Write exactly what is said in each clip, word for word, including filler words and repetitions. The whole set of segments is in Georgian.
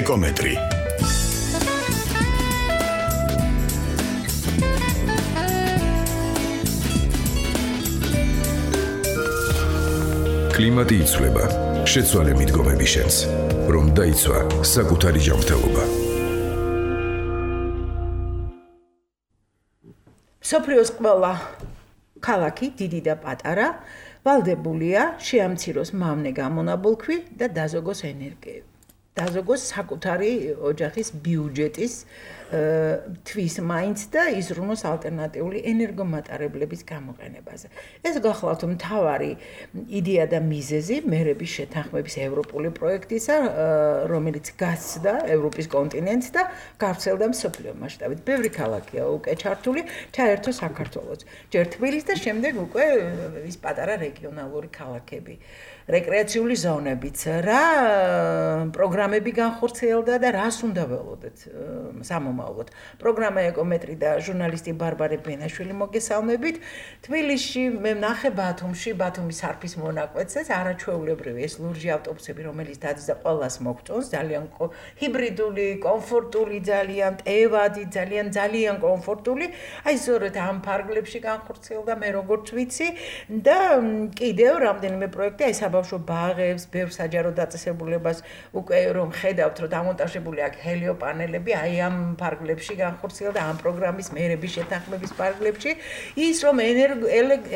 ეკომეტრი. კლიმატი იცვლება, შეცვალე მიდგომები შენს, რომ დაიცვა საკუთარი ჯანმრთელობა. მსოფლიოს ყველა ქალაქი, დიდი და პატარა, ვალდებულია შეამციროს მავნე გამონაბოლქვი და დაზოგოს ენერგიები. დაზოგოს საკუთარი ოჯახის ბიუჯეტის თვის მაინც და იზრუნოს ალტერნატიული ენერგომატარებლების გამოყენებაზე. ეს გახლავთ მთავარი იდეა და მიზეზი მერების შეთანხმების ევროპული პროექტისა, რომელიც გასცდა ევროპის კონტინენტს და გავრცელდა მსოფლიო მასშტაბით. ბევრი ქალაქია უკვე ჩართული, ჩაერთო საქართველოც. ჯერ თბილისი და შემდეგ უკვე ის პატარა რეგიონალური ქალაქები. რეკრეაციული ზონებიც, რა პროგრამები განხორციელდა და რას უნდა ველოდეთ სამომავლოდ. პროგრამა ეკომეტრი და ჟურნალისტი ბარბარე ბენაშვილი მოგესალმებით. თბილისში მე ვნახე ბათუმში, ბათუმის არფის მონაკვეთზეც არაჩვეულებრივი ეს ლურჯი ავტობუსები, რომელიც დაძდა ყველას მოგწონს, ძალიან ჰიბრიდული, კომფორტული, ძალიან ტევადი, ძალიან ძალიან კომფორტული. აი ზოგადად ამ ფარგლებში განხორციელდა მე როგორც ვიცი და კიდევ რამდენიმე პროექტი აი საბავშვო ბაღებს, ბევრ საჯარო დაწესებულებას უკვე რომ ხედავთ, რომ დამონტაჟებული აქვს ჰელიოპანელები, აი ამ ფარგლებში განხორციელდა ამ პროგრამის მერების შეთანხმების ფარგლებში, ის რომ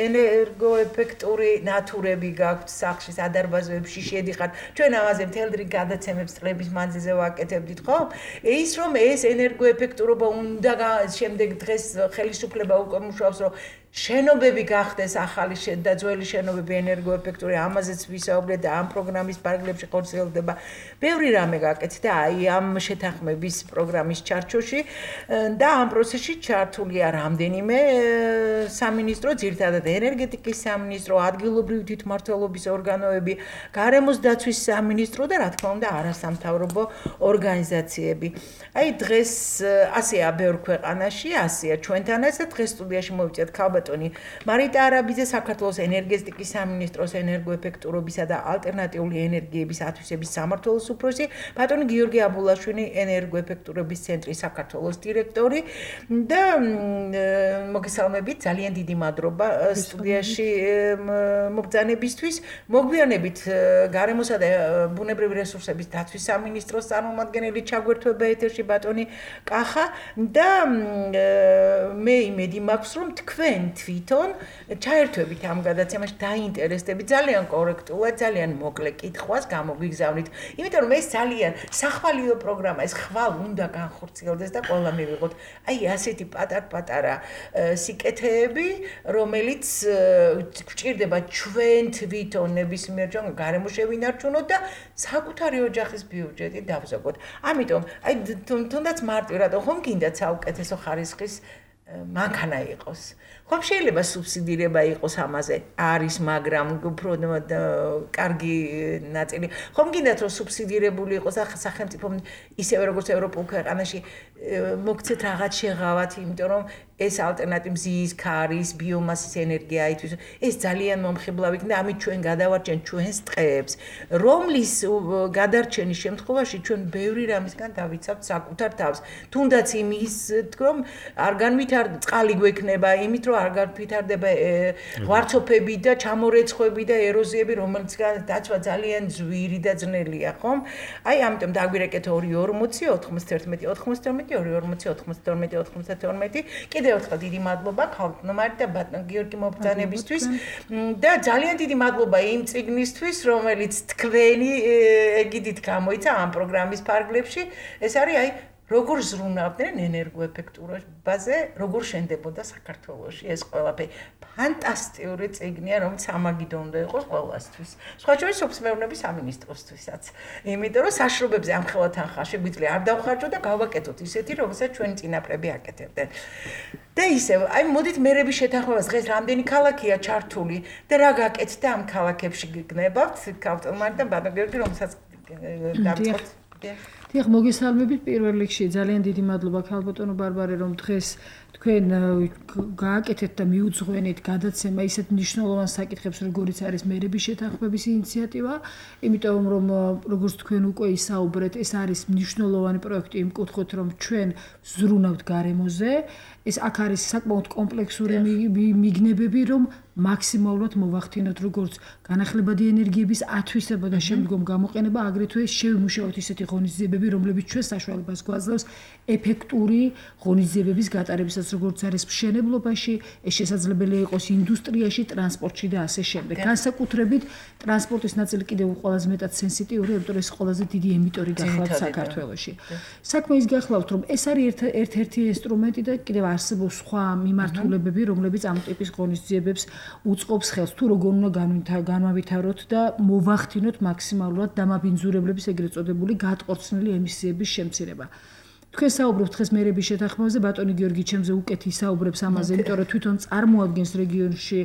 ენერგოეფექტური ნატურები გაქვთ სახლში, სადარბაზოებში შედიხართ, ჩვენ ამაზე მთელ დღე გადაცემებს წლების მანძილზე ვაკეთებდით, ხო? ის რომ ეს ენერგოეფექტურობა უნდა შემდეგ დღეს ხელისუფლება უკვე მუშაობს, რომ შენობები გახდეს ახალი და ძველი შენობები ენერგოეფექტური, ამაზეც ვისაუბრეთ და ამ პროგრამის ფარგლებში ხორციელდება. ბევრი რამე გაკეთდა აი ამ შეთანხმების პროგრამის ჩარჩოში და ამ პროცესში ჩართულია რამდენიმე სამინისტრო, ძირითადად ენერგეტიკის სამინისტრო, ადგილობრივი თვითმმართველობის ორგანოები, გარემოს დაცვის სამინისტრო და რა თქმა უნდა არასამთავრობო ორგანიზაციები. აი დღეს ასეა ბევრ ქვეყანაში, ასეა ჩვენთანაც და დღეს სტუდიაში მოვიწევთ ქალბატონი მარიტა არაბიძე, საქართველოს ენერგეტიკის სამინისტროს ენერგოეფექტურობისა და ალტერნატიული ენერგიების ათვისების სამმართველოს უფროსი, ბატონი გიორგი აბულაშვილი, ენერგოეფექტურობის ცენტრის საქართველოს დირექტორი და მოგესალმებით, ძალიან დიდი მადლობა სტუდიაში მობრძანებისთვის. მოგვიანებით გარემოსა და ბუნებრივი რესურსების დაცვის სამინისტროს წარმომადგენელი ჩაგვერთვება ეთერში ბატონი კახა და მე იმედი მაქვს, რომ თქვენ თვითონ ჩაერთვებით ამ გადაცემაში, დაინტერესდებით, ძალიან კორექტულად, ძალიან მოკლე კითხვას გამოგვიგზავნით. იმიტომ რომ ეს ძალიან სახვალიო პროგრამა, ეს ხვალ უნდა განხორციელდეს და ყველა მივიღოთ აი ასეთი პატარ-პატარა სიკეთეები, რომელიც გვჭირდება ჩვენ თვითონ ნებისმიერ ჯერ გარემო შევინარჩუნოთ და საკუთარი ოჯახის ბიუჯეტი დავზოგოთ. ამიტომ აი თუნდაც მარტივ რატო ხომ გინდათ საუკეთესო ხარისხის მანქანა იყოს. ხომ შეიძლება სუბსიდირება იყოს ამაზე? არის, მაგრამ უფრო კარგი ნაწილი. ხომ გინდათ რომ სუბსიდირებული იყოს სახელმწიფო ისევე როგორც ევროპულ ქვეყანაში მოგცეთ რაღაც შეღავათ, იმიტომ რომ ეს ალტერნატივი მზის, ქარის, ბიომასის ენერგია ითვისო. ეს ძალიან მომხიბლავი იქნება, ამით ჩვენ გადავარჩენთ ჩვენს ტყეებს, რომლის გადარჩენის შემთხვევაში ჩვენ ბევრი რამისგან დავიცავთ საკუთარ თავს. თუნდაც იმის, რომ არ განვითარდება წყალი გვექნება, იმით რომ არ განვითარდება ღვარცოფები და ჩამორეცხვები და ეროზიები, რომელიც დაცვა ძალიან ძვირი და ძნელია, ხომ? აი ამიტომ დაგვირეკეთ ორი ორმოცი, ოთხმოცდაერთმეტი, ოთხმოცდაორმეტი, ორი ორმოცი, ოთხმოცდაორმეტი, ოთხმოცდათორმეტი. კიდევ ერთხელ დიდი მადლობა ქალბატონ მარიტა და ბატონ გიორგი მობრძანებისთვის და ძალიან დიდი მადლობა იმ წიგნისთვის, რომელიც თქვენი ეგიდით გამოიცა ამ პროგრამის ფარგლებში. ეს არის აი როგორ ზრუნავდნენ ენერგოეფექტურობაზე, როგორ შენდებოდა საქართველოში ეს ყველაფერი. ფანტასტიკური წიგნია, რომელიც სამაგიდო უნდა იყოს ყველასთვის. სხვა შორის სოფსმეურნეობის სამინისტროსთვისაც. იმიტომ რომ საშრობებზე ამხელა თანხა შეგვიძლია არ დავხარჯოთ და გავაკეთოთ ისეთი, რომელსაც ჩვენი წინაპრები აკეთებდნენ. და ისევ, აი მოდით მერების შეთანხმებას დღეს რამდენი ქალაქია ჩართული და რა გაკეთდა ამ ქალაქებში გგნებავთ, ქალბატონ მარიტა და ბატონ გიორგი, რომელსაც დავწყოთ. დიახ, მოგესალმებით პირველ რიგში. ძალიან დიდი მადლობა ქალბატონო ბარბარე, რომ დღეს თქვენ გააკეთეთ და მიუძღვენით გადაცემა ისეთ მნიშვნელოვან საკითხებს, როგორიც არის მერების შეთანხმების ინიციატივა, იმიტომ რომ როგორც თქვენ უკვე ისაუბრეთ, ეს არის მნიშვნელოვანი პროექტი იმ კუთხით, რომ ჩვენ ზრუნავთ გარემოზე, ეს აქ არის საკმაოდ კომპლექსური მიგნებები, რომ მაქსიმალურად მოვახდინოთ როგორც განახლებადი ენერგიების ათვისება და შემდგომ გამოყენება, აგრეთვე შევიმუშაოთ ისეთი ღონისძიებები, რომლებიც ჩვენ საშუალებას გვაძლევს ეფექტური ღონისძიებების გატარებისას, როგორც არის მშენებლობაში, ეს შესაძლებელია იყოს ინდუსტრიაში, ტრანსპორტში და ასე შემდეგ. განსაკუთრებით ტრანსპორტის ნაწილი კიდევ ყველაზე მეტად სენსიტიურია, იმიტომ რომ ეს ყველაზე დიდი ემიტორი გახლავთ საქართველოში. საქმე ის გახლავთ, რომ ეს არის ერთ-ერთი ინსტრუმენტი და კიდევ არსებობს სხვა მიმართულებები, რომლებიც ამ ტიპის ღონისძიებებს უწყობს ხელს, თუ როგორ უნდა განმავითაროთ და მოვახდინოთ მაქსიმალურად დამაბინძურებლების ეგრეთ წოდებული გატყორცნილი ემისიების შემცირება. თქვენ საუბრობთ დღეს მერების შეთანხმებაზე, ბატონი გიორგი ჩემზე უკეთ ისაუბრებს ამაზე, იმიტომ რომ თვითონ წარმოადგენს რეგიონში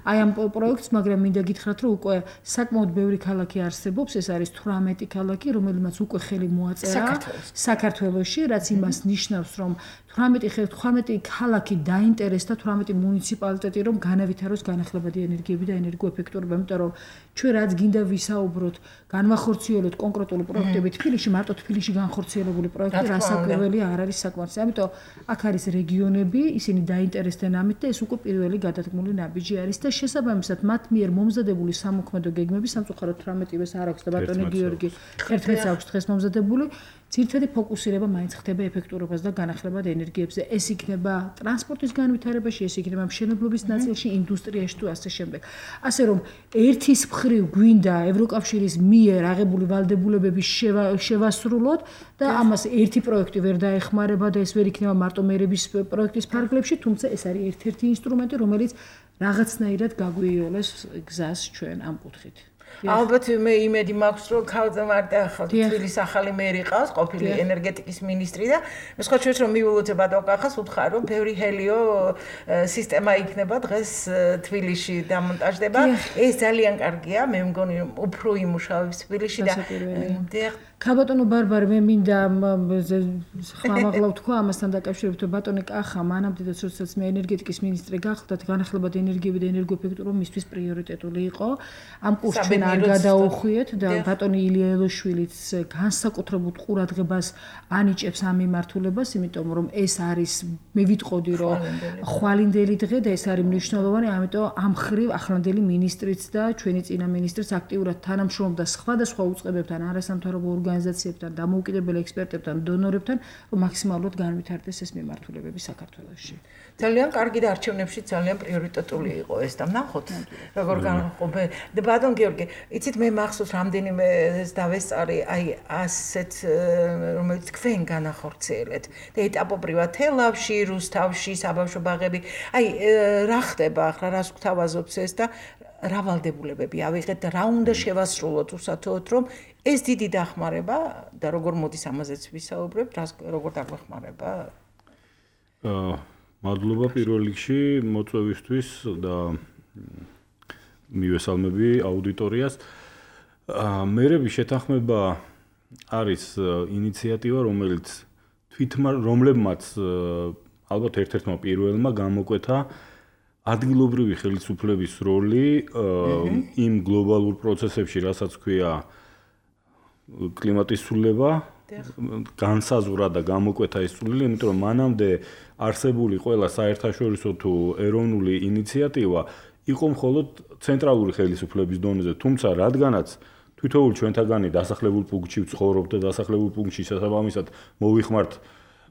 აი ამ პროექტს, მაგრამ მინდა გითხრათ, რომ უკვე საკმაოდ ბევრი ქალაქი არსებობს, ეს არის თვრამეტი ქალაქი, რომელმაც უკვე ხელი მოაწერა საქართველოში, რაც იმას ნიშნავს, რომ თვრამეტი ქალაქი დაინტერესდა თვრამეტი მუნიციპალიტეტი, რომ განავითაროს განახლებადი ენერგიები და ენერგოეფექტურობა, იმიტომ რომ ჩვენ რაც გინდა ვისაუბროთ, განვახორციელოთ კონკრეტული პროექტები თბილისში, მარტო თბილისში განხორციელებული პროექტი რასაკვირველია არ არის საკმარისი. ამიტომ აქ არის რეგიონები, ისინი დაინტერესდნენ ამით და ეს უკვე პირველი გადადგმული ნაბიჯი არის და შესაბამისად მათ მიერ მომზადებული სამოქმედო გეგმები სამწუხაროდ თვრამეტივეს არ აქვს და ბატონი გიორგი ერთმეტს აქვს დღეს მომზადებული. ძირითადი ფოკუსირება მაინც ხდება ეფექტურობას და განახლებად ენერგიებზე. ეს იქნება ტრანსპორტის განვითარებაში, ეს იქნება მშენებლობის ნაწილში, ინდუსტრიაში თუ ასე შემდეგ. ასე რომ ერთის მხრივ გვინდა ევროკავშირის მიერ აღებული ვალდებულებების შევასრულოთ და ამას ერთი პროექტი ვერ დაეხმარება და ეს ვერ იქნება მარტო მერების პროექტის ფარგლებში, თუმცა ეს არის ერთ-ერთი ინსტრუმენტი, რომელიც რაღაცნაირად გაგვიოლეს გზას ჩვენ ამ კუთხით. ალბათ მე იმედი მაქვს, რომ ქალზე მარტო თბილისის ახალი მერი ყავს, ყოფილი ენერგეტიკის მინისტრი და მე სხვა ჩვენს რომ მივულოთ ბატონ კახას უთხარ, რომ ბევრი ჰელიო სისტემა იქნება დღეს თბილისში დამონტაჟდება. ეს ძალიან კარგია, მე მგონი რომ უფრო იმუშავებს თბილისში და ქალბატონო ბარბარე, მე მინდა ხმამაღლა ვთქვა ამასთან დაკავშირებით, რომ ბატონი კახა მანამდე როდესაც მე ენერგეტიკის მინისტრი გახდათ, განახლებადი ენერგიები და ენერგოეფექტურობა მისთვის პრიორიტეტული იყო. ამ კურსს ჩვენ არ გადაუხვიეთ და ბატონი ილია ელოშვილიც განსაკუთრებულ ყურადღებას ანიჭებს ამ მიმართულებას, იმიტომ რომ ეს არის მე ვიტყოდი, რომ ხვალინდელი დღე და ეს არის მნიშვნელოვანი, ამიტომ ამ ხრივ ახლანდელი მინისტრიც და ჩვენი წინა მინისტრიც აქტიურად თანამშრომლობდა სხვადასხვა უწყებებთან, არასამთავრობო ორგანიზაციებთან, დამოუკიდებელ ექსპერტებთან, დონორებთან, რომ მაქსიმალურად განვითარდეს ეს მიმართულებები საქართველოში. ძალიან კარგი და არჩევნებში ძალიან პრიორიტეტული იყო ეს და ნახოთ, როგორ განყოფე. და ბატონ გიორგი, იცით მე მახსოვს რამდენიმე დავესწარი, აი ასეთ რომელიც თქვენ განახორციელეთ და ეტაპობრივად თელავში, რუსთავში, საბავშვო ბაღები. აი რა ხდება ახლა, რას გვთავაზობს ეს და რა ვალდებულებები ავიღეთ და რა უნდა შევასრულოთ უსათოოდ, რომ ეს დიდი დახმარება და როგორ მოდის ამაზეც ვისაუბრებთ, როგორ დაგვეხმარება? აა მადლობა პირველ რიგში მოწვევისთვის და მივესალმები აუდიტორიას. მერების შეთანხმება არის ინიციატივა, რომელიც თვითმა რომლებმაც ალბათ ერთ-ერთმა პირველმა გამოკვეთა ადგილობრივი ხელისუფლების როლი იმ გლობალურ პროცესებში, რასაც ქვია კლიმატის ცვლილება, განსაზღვრა და გამოკვეთა ეს ცვლილება, იმიტომ რომ მანამდე არსებული ყველა საერთაშორისო თუ ეროვნული ინიციატივა იყო მხოლოდ ცენტრალური ხელისუფლების დონეზე, თუმცა რადგანაც თითოეულ ჩვენთაგანი დასახლებულ პუნქტში ვცხოვრობთ და დასახლებულ პუნქტში შესაბამისად მოვიხმართ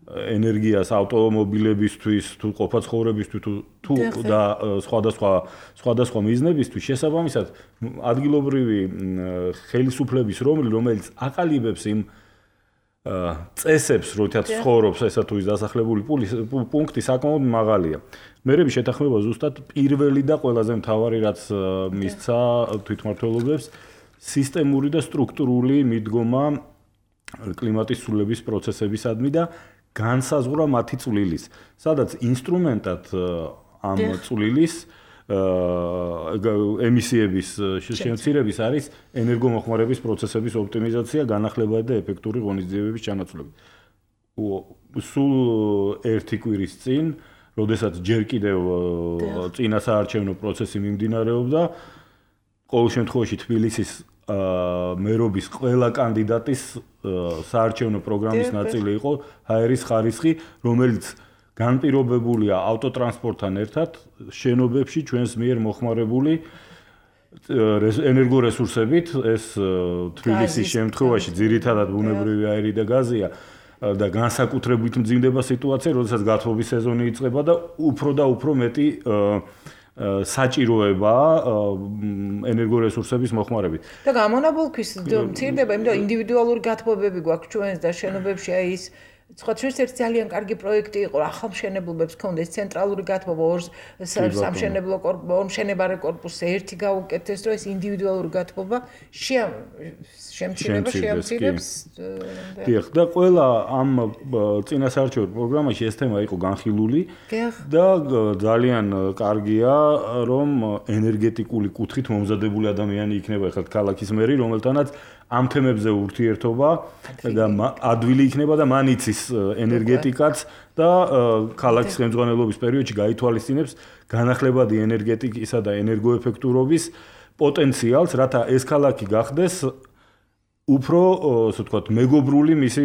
ენერგიას ავტომობილებისთვის თუ ყოფაცხოვრებისთვის თუ და სხვადასხვა სხვადასხვა მიზნებისთვის შესაბამისად ადგილობრივი ხელისუფლების რომელი, რომელიც აყალიბებს იმ წესებს, როდესაც ცხოვრობს ესა თუ ის დასახლებული პუნქტი საკმაოდ მაღალია. მერების შეთანხმება ზუსტად პირველი და ყველაზე მთავარი რაც მისცა თვითმმართველობებს სისტემური და სტრუქტურული მიდგომა კლიმატის ცვლილების პროცესებისადმი და განსაზღვრა მათი წვლილის, სადაც ინსტრუმენტად ამ წვლილის ემისიების შემცირების არის ენერგომოხმარების პროცესების ოპტიმიზაცია, განახლებადი და ეფექტური ღონისძიებების ჩანაცვლება. სულ ერთი კვირის წინ, როდესაც ჯერ კიდევ წინა საარჩევნო პროცესი მიმდინარეობდა, ყოველ შემთხვევაში თბილისის მერობის ყველა კანდიდატის საარჩევნო პროგრამის ნაწილი იყო ჰაერის ხარისხი, რომელიც განპირობებულია ავტოტრანსპორტთან ერთად შენობებში ჩვენს მიერ მოხმარებული ენერგორესურსებით, ეს თბილისის შემთხვევაში ძირითადად ბუნებრივი აირი და გაზია და განსაკუთრებით მძიმდება სიტუაცია, როდესაც გათბობის სეზონი იწყება და უფრო და უფრო მეტი საჭიროება ენერგორესურსების მოხმარებით. და გამონაბოლქვის მცირდება, იმიტომ რომ ინდივიდუალური გათბობები გვაქვს ჩვენს და შენობებში აი ის სხვა ჩვენს ერთ ძალიან კარგი პროექტი იყო, ახალმშენებლობებს ჰქონდეს ცენტრალური გათბობა ორ სამშენებლო კორპუსი, ორ მშენებარე კორპუსზე ერთი გაუკეთეს, რომ ეს ინდივიდუალური გათბობა შემცირება შეამცირებს. დიახ, და ყველა ამ წინასაარჩევნო პროგრამაში ეს თემა იყო განხილული და ძალიან კარგია, რომ ენერგეტიკული კუთხით მომზადებული ადამიანი იქნება ახლა ქალაქის მერი, რომელთანაც ამ თემებზე ურთიერთობა და ადვილი იქნება და მან იცის ენერგეტიკაც და ქალაქის ხელმძღვანელობის პერიოდში გაითვალისწინებს განახლებადი ენერგეტიკისა და ენერგოეფექტურობის პოტენციალს, რათა ეს ქალაქი გახდეს უფრო, ასე ვთქვათ, მეგობრული მისი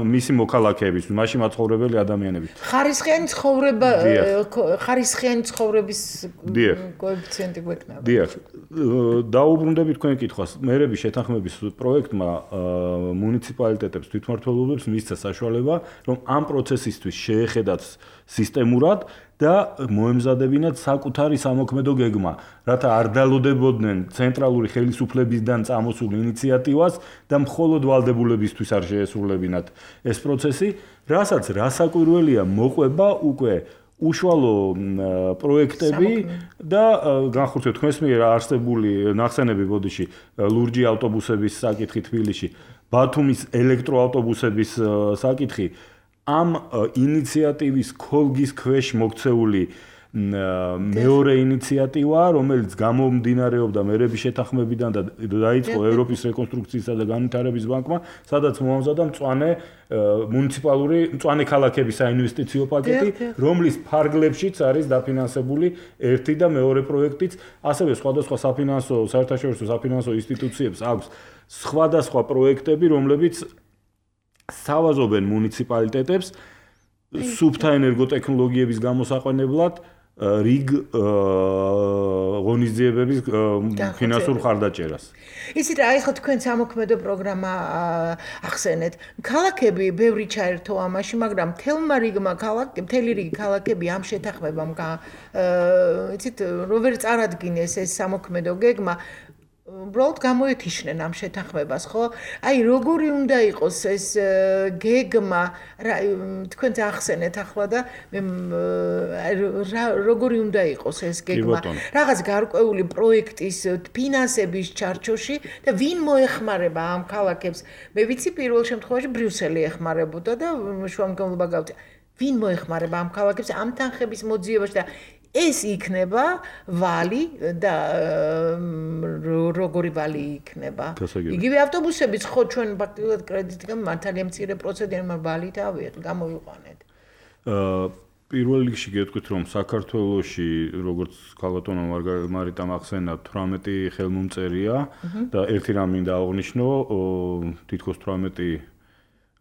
მისი მოქალაქეების, მასში მაცხოვრებელი ადამიანების. ხარისხიანი ცხოვრება, ხარისხიანი ცხოვრების კოეფიციენტი გვექნება. დიახ. დაუბრუნდებით თქვენ კითხვას. მერების შეთანხმების პროექტმა მუნიციპალიტეტებს, თვითმმართველობებს მისცა საშუალება, რომ ამ პროცესისთვის შეეხედათ სისტემურად და მოემზადებინათ საკუთარი სამოქმედო გეგმა, რათა არ დალოდებოდნენ ცენტრალური ხელისუფლებისგან წამოსულ ინიციატივას და მხოლოდ ვალდებულებისთვის არ შეესრულებინათ ეს პროცესი, რასაც რასაკვირველია მოყვება უკვე უშუალო პროექტები და განხორციელოთ თქვენს მიერ არსებული ნახსენები ბოდიში ლურჯი ავტობუსების საკითხი თბილისში, ბათუმის ელექტროავტობუსების საკითხი ამ ინიციატივის ქოლგის ქვეშ მოქცეული მეორე ინიციატივა, რომელიც გამომდინარეობდა მერების შეთანხმებიდან და დაიწყო ევროპის რეკონსტრუქციისა და განვითარების ბანკმა, სადაც მოამზადა მწვანე მუნიციპალური მწვანე ქალაქების საინვესტიციო პაკეტი, რომლის ფარგლებშიც არის დაფინანსებული ერთი და მეორე პროექტიც, ასევე სხვადასხვა საფინანსო, საერთაშორისო საფინანსო ინსტიტუციებს აქვს სხვადასხვა პროექტები, რომლებიც სავაზობენ მუნიციპალიტეტებს სუფთა ენერგოტექნოლოგიების გამოსაყენებლად რიგ ღონისძიებების ფინანსურ ხარდაჭერას. იცით რა, ეხლა თქვენ სამოქმედო პროგრამა ახსენეთ. ქალაქები ბევრი ჩაერთო ამაში, მაგრამ თელმა რიგმა ქალაქები, მთელი რიგი ქალაქები ამ შეთანხმებამ იცით, რო ვერ წარადგინეს ეს სამოქმედო გეგმა, უბრალოდ გამოეთიშნენ ამ შეთანხმებას, ხო? აი, როგორი უნდა იყოს ეს გეგმა, თქვენ ახსენეთ ახლა და როგორი უნდა იყოს ეს გეგმა? რაღაც გარკვეული პროექტის ფინანსების ჩარჩოში და ვინ მოეხმარება ამ ქალაქებს? მე ვიცი პირველ შემთხვევაში ბრიუსელი ეხმარებოდა და შუამდგომლობა გავწია. ვინ მოეხმარება ამ ქალაქებს ამ თანხების მოძიებაში და ეს იქნება ვალი და როგორი ვალი იქნება. იგივე ავტობუსებიც ხო ჩვენ ფაქტობრივად კრედიტიდან მართალია მცირე პროცენტი ვალით გამოვიყვანეთ. პირველ რიგში გეტყვით რომ საქართველოში როგორც ქალბატონო მარიტამ ახსენა თვრამეტი ხელმომწერია და ერთი რამ მინდა აღვნიშნო, თითქოს თვრამეტი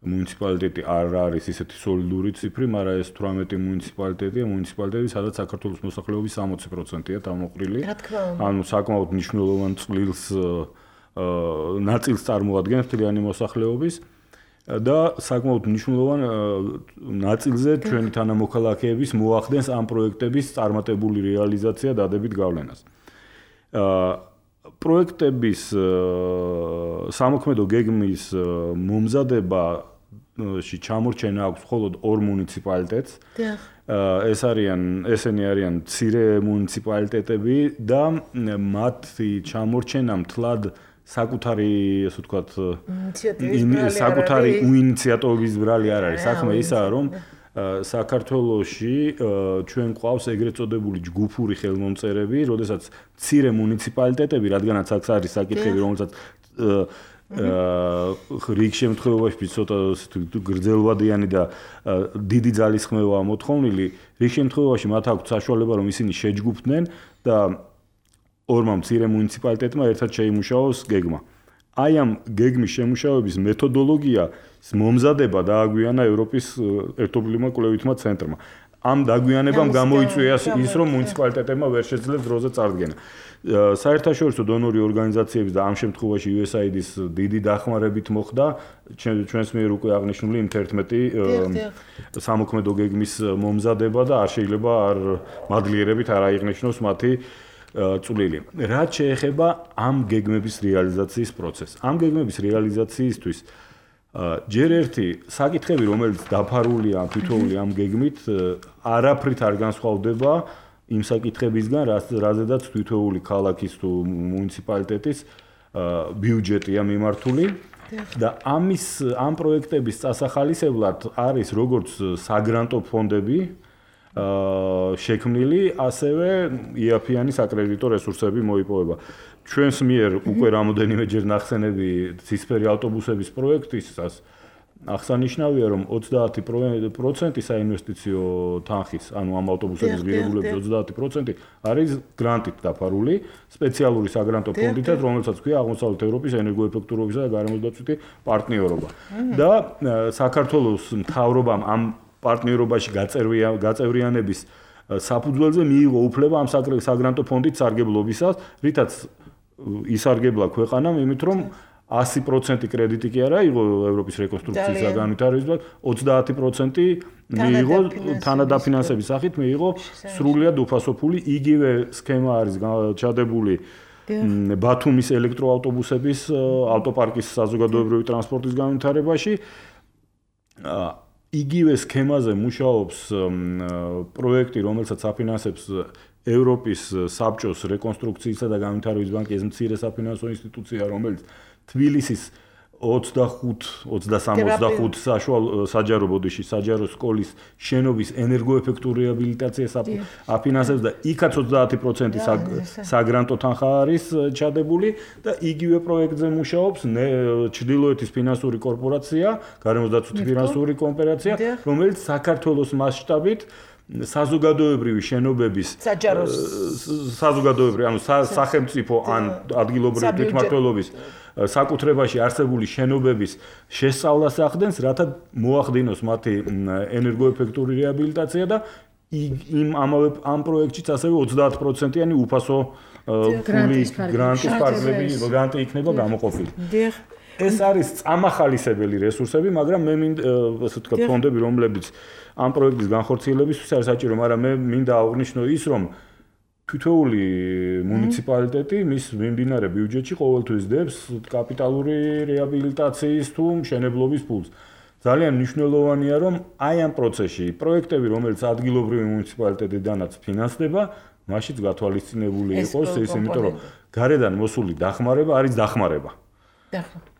მუნიციპალიტეტი არ არის ისეთი სოლიდური ციფრი, მაგრამ ეს თვრამეტი მუნიციპალიტეტია, მუნიციპალიტეტი, სადაც საქართველოს მოსახლეობის სამოცი პროცენტია დამოყრილი. ანუ საკმაოდ მნიშვნელოვან წვლილს ნაწილს წარმოადგენს მთლიანი მოსახლეობის და საკმაოდ მნიშვნელოვან ნაწილზე ჩვენი თანამოქალაქეების მოახდენს ამ პროექტების წარმატებული რეალიზაცია დადებით გავლენას. პროექტების სამოქმედო გეგმის მომზადება ში ჩამორჩენა აქვს მხოლოდ ორ მუნიციპალიტეტს. ეს არიან ესენი არიან მცირე მუნიციპალიტეტები და მათი ჩამორჩენა მთლად საკუთარი, ასე ვთქვათ, საკუთარი ინიციატივის ბრალი არ არის. საქმე ისაა, რომ საქართველოში ჩვენ ყავს ეგრეთ წოდებული ჯგუფური ხელმომწერები, როდესაც მცირე მუნიციპალიტეტები, რადგანაც აქ არის საკითხები, რომელსაც რიგ შემთხვევაში ცოტა გრძელვადიანი და დიდი ძალის ხმევაა მოთხოვნილი, რიგ შემთხვევაში მათ აქვთ საშუალება რომ ისინი შეჯგუფდნენ და ორმა მცირე მუნიციპალიტეტმა ერთად შეიმუშაოს გეგმა. აი ამ გეგმის შემუშავების მეთოდოლოგია მომზადება დააგვიანა ევროპის ერთობლივმა კვლევითმა ცენტრმა. ამ დაგვიანებამ გამოიწვია ის, რომ მუნიციპალიტეტებმა ვერ შეძლეს დროზე წარდგენა. საერთაშორისო დონორი ორგანიზაციების და ამ შემთხვევაში იუ ეს აი დი-ის დიდი დახმარებით მოხდა ჩვენს მიერ უკვე აღნიშნული იმ თერთმეტი სამოქმედო გეგმის მომზადება და არ შეიძლება არ მადლიერებით არ აიღნიშნოს მათი წვლილი. რაც შეეხება ამ გეგმების რეალიზაციის პროცესს. ამ გეგმების რეალიზაციისთვის ჯერ ერთი საკითხები, რომელიც დაფარულია თითოეული ამ გეგმით, არაფრით არ განსხვავდება იმ საკითხებისგან, რაზედაც თითოეული ქალაქის თუ მუნიციპალიტეტის ბიუჯეტია მიმართული და ამის ამ პროექტების წასახალისებლად არის როგორც საგრანტო ფონდები შექმნილი, ასევე იაფიანი საკრედიტო რესურსები მოიპოვება. ჩვენს მიერ უკვე რამოდენიმეჯერ ნახსენები ცისფერი ავტობუსების პროექტისას აღსანიშნავია, რომ ოცდაათი პროცენტი საინვესტიციო თანხის, ანუ ამ ავტობუსების ღირებულების ოცდაათი პროცენტი არის გრანტით დაფარული, სპეციალური საგრანტო ფონდითაც, რომელსაც ქვია აღმოსავლეთ ევროპის ენერგოეფექტურობისა და გარემოსდაცვითი პარტნიორობა. და საქართველოს მთავრობამ ამ პარტნიორობაში გაწევრიანების საფუძველზე მიიღო უფლება ამ საგრანტო ფონდით სარგებლობისას, რითაც ისარგებლა ქვეყანამ, იმით რომ ასი პროცენტი კრედიტი კი არა იყო ევროპის რეკონსტრუქციის და განვითარების, ოცდაათი პროცენტი მიიღო თანადაფინანსების სახით მიიღო სრულიად უფასოფული. იგივე სქემა არის ჩადებული ბათუმის ელექტროავტობუსების ავტოპარკის საზოგადოებრივი ტრანსპორტის განვითარებაში. იგივე სქემაზე მუშაობს პროექტი, რომელსაც აფინანსებს ევროპის საბჭოს რეკონსტრუქციისა და განვითარების ბანკი, ეს მცირე საფინანსო ინსტიტუცია, რომელიც თბილისის ოცდახუთ ოცდასამ ოცდახუთ საშუალო საჯარო ბოდიში საჯარო სკოლის შენობის ენერგოეფექტურ რეაბილიტაციას აფინანსებს და იქაც ოცდაათი პროცენტი საგრანტო თანხა არის ჩადებული და იგივე პროექტზე მუშაობს ჩრდილოეთის ფინანსური კორპორაცია, გარემოსდაცვითი ფინანსური კოოპერაცია, რომელიც საქართველოს მასშტაბით საზოგადოებრივი შენობების საჯაროს საზოგადოებრივი ანუ სახელმწიფო ან ადგილობრივი თვითმმართველობის საკუთრებაში არსებული შენობების შესწავლას ახდენს, რათა მოახდინოს მათი ენერგოეფექტური რეაბილიტაცია და იმ ამავე ამ პროექტშიც ასევე ოცდაათი პროცენტიანი უფასო გრანტის ფარგლები გრანტი იქნება გამოყოფილი. ეს არის წამახალისებელი რესურსები, მაგრამ მე მინდა ასე ვთქვათ ფონდები, რომლებიც ამ პროექტის განხორციელებისთვის არის საჭირო, მაგრამ მე მინდა აღვნიშნო ის, რომ თითოეული მუნიციპალიტეტი მის მიმდინარე ბიუჯეტში ყოველთვის დებს კაპიტალური რეაბილიტაციის თუ მშენებლობის ფულს. ძალიან მნიშვნელოვანია, რომ აი ამ პროცესში პროექტები, რომელიც ადგილობრივი მუნიციპალიტეტიდანაც ფინანსდება, მაშინ გათვალისწინებული იყოს ეს, იმიტომ რომ გარედან მოსული დახმარება არის დახმარება.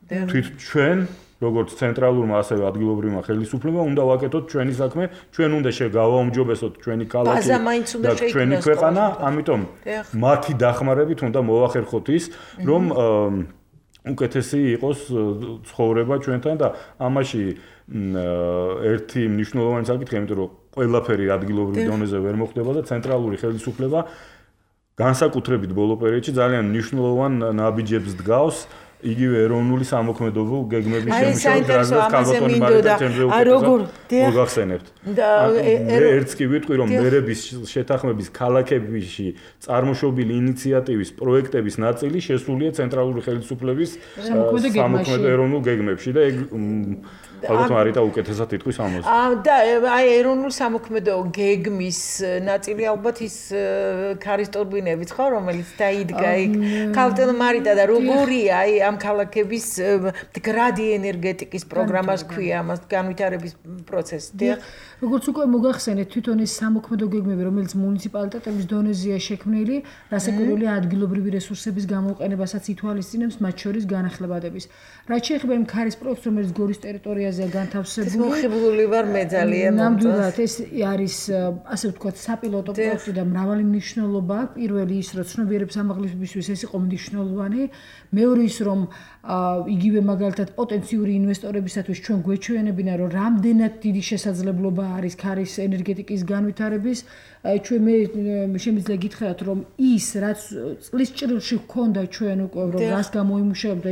თვით ჩვენ როგორც ცენტრალურმა ასევე ადგილობრივმა ხელისუფლებამ უნდა ვაკეთოთ ჩვენი საქმე, ჩვენ უნდა შეგავაუმჯობესოთ ჩვენი ქალაქი და ჩვენი ქვეყანა, ამიტომ მათი დახმარებით უნდა მოვახერხოთ ის, რომ უკეთესი იყოს ცხოვრება ჩვენთან და ამაში ერთი მნიშვნელოვანი საკითხია, იმიტომ რომ ყველაფერი ადგილობრივ დონეზე ვერ მოხდება და ცენტრალური ხელისუფლება განსაკუთრებით ბოლო პერიოდში ძალიან მნიშვნელოვან ნაბიჯებს დგავს იგივე ეროვნული სამოქმედო გეგმების შემუშავების რაზეც კალბატონი მარკეტენზე უკვე მოგახსენებთ. ერთს კი ვიტყვი, რომ მერების შეთანხმების ქალაქებში წარმოშობილი ინიციატივის პროექტების ნაწილი შესულია ცენტრალური ხელისუფლების სამოქმედო ეროვნულ გეგმებში და ეგ ალბათ მარიტა უკეთესად იტყვის ამაზე. და აი ეროვნულ სამოქმედო გეგმის ნაწილი ალბათ ის ქარისტორბინებით ხო, რომელიც დაიდგა იქ ქალტელ მარიტა და როგორია აი ამ ქალაქების მდგრადი ენერგეტიკის პროგრამას ქვია ამას განვითარების პროცესი. როგორც უკვე მოგახსენეთ, თვითონ ეს სამოქმედო გეგმები, რომელიც მუნიციპალიტეტების დონეზეა შექმნილი, რასაკვირველია ადგილობრივი რესურსების გამოყენებასაც ითვალისწინებს, მათ შორის განახლებადების. რაც შეეხება იმ ქარის პროექტს, რომელიც გორის ტერიტორიაზეა განთავსებული, მოხიბლული ვარ მე ძალიან. ნამდვილად ეს არის ასე ვთქვათ საპილოტო პროექტი და მრავალი მნიშვნელობა აქვს. პირველი ის, რომ ცნობიერების ამაღლებისთვის ეს იყო მნიშვნელოვანი, მეორე ის, რომ იგივე მაგალითად პოტენციური ინვესტორებისათვის ჩვენ გვეჩვენებინა რომ რამდენად დიდი შესაძლებლობა არის ქარის ენერგეტიკის განვითარების ჩვენ მე შემიძლია გითხრათ რომ ის რაც წლის ჭრილში ჰქონდა ჩვენ უკვე რომ რას გამოიმუშავებდა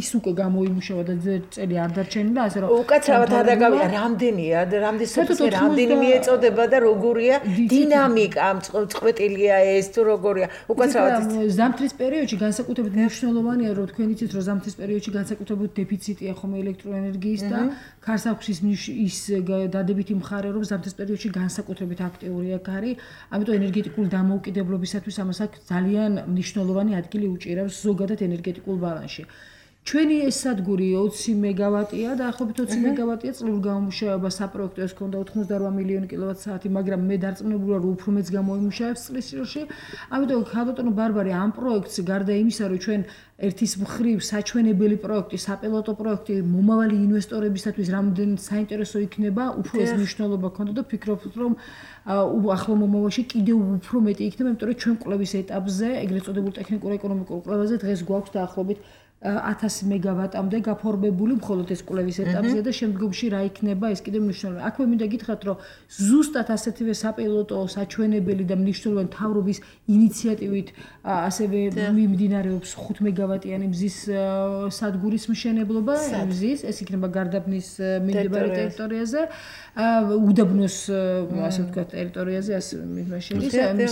ის უკვე გამოიმუშავა და წელი არ დარჩენილა ასე რომ უკაცრავად არ დაგავია რამდენია რამდენი რამდენი მიეწოდება და როგორია დინამიკა ამ წყვეტილია ეს თუ როგორია უკაცრავად ზამთრის პერიოდში განსაკუთრებით მნიშვნელოვანია რომ თქვენ იცით რომ ზამთრის პერიოდში განსაკუთრებით დეფიციტია ხომ ელექტროენერგიის და ქარს აქვს ის დადებითი მხარე რომ ზამთრის პერიოდში განსაკუთრებით აქტიურია ქარი ამიტომ ენერგეტიკული დამოუკიდებლობისათვის ამას აქვს ძალიან მნიშვნელოვანი ადგილი უჭირავს ზოგადად ენერგეტიკულ ბალანსში. ჩვენი ეს სადგური ოცი მეგავატია და ახლობით ოცი მეგავატია წლურ გამომუშავება საპროექტო ეს ქონდა ოთხმოცდაორ მილიონი კილოვატ-საათი, მაგრამ მე დარწმუნებულია რომ უფრო მეც გამოიმუშავებს წლის სროში. ამიტომ ქალბატონო ბარბარე ამ პროექტს გარდა იმისა რომ ჩვენ ერთის მხრივ საჩვენებელი პროექტი, საპილოტო პროექტი მომავალი ინვესტორებისათვის რამდენად საინტერესო იქნება, უფრო ეს მნიშვნელობა ქონდა და ფიქრობთ რომ ახლო მომავალში კიდევ უფრო მეტი იქნება, იმიტომ რომ ჩვენ კვლევის ეტაპზე, ეგრეთ წოდებულ ტექნიკურ-ეკონომიკურ კვლევაზე დღეს გვაქვს დაახლოებით ათასი მეგავატამდე გაფორმებული მხოლოდ ეს კვლევის ეტაპზე და შემდგომში რა იქნება ეს კიდევ მნიშვნელოვანი. აქვე მინდა გითხრათ რომ ზუსტად ასეთივე საპილოტო, საჩვენებელი და მნიშვნელოვანი მთავრობის ინიციატივით ასევე მიმდინარეობს ხუთ მეგავატიანი მზის სადგურის მშენებლობა, მზის, ეს იქნება გარდაბნის მიმდებარე ტერიტორიაზე, უდაბნოს ასე ვთქვათ ტერიტორიაზე, ასე მაშინ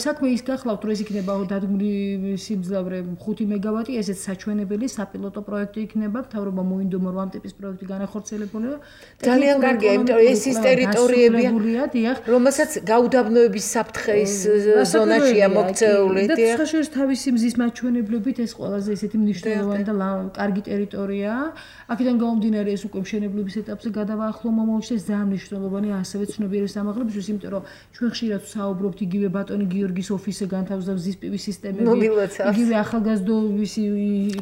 საქმე ის გახლავთ რომ ეს იქნება დადგმული სიმძლავრე ხუთი მეგავატი, ესეც საჩვენებელი საპილოტო პროექტი იქნება, მთავრობა მოინდომა რომ ამ ტიპის პროექტი განახორციელებულა. ძალიან კარგია, იმიტომ რომ ეს ის ტერიტორიებია, რომელსაც გაუდაბნოების საფრთხის ზონაშია მოქცეული. და ხაშურის თავისი მზის მაჩვენებლებით ეს ყველაზე ისეთი მნიშვნელოვანი და კარგი ტერიტორიაა. აქედან გამომდინარე ეს უკვე მშენებლობის ეტაპზე გადავა ახლო მომავალში ეს ძალიან მნიშვნელოვანია ასევე ცნობიერების ამაღლებისთვის, იმიტომ რომ ჩვენ ხშირად საუბრობთ იგივე ბატონი გიორგის ოფისზე განთავსდა მზის პი ვი სისტემები, იგივე ახალგაზრდობის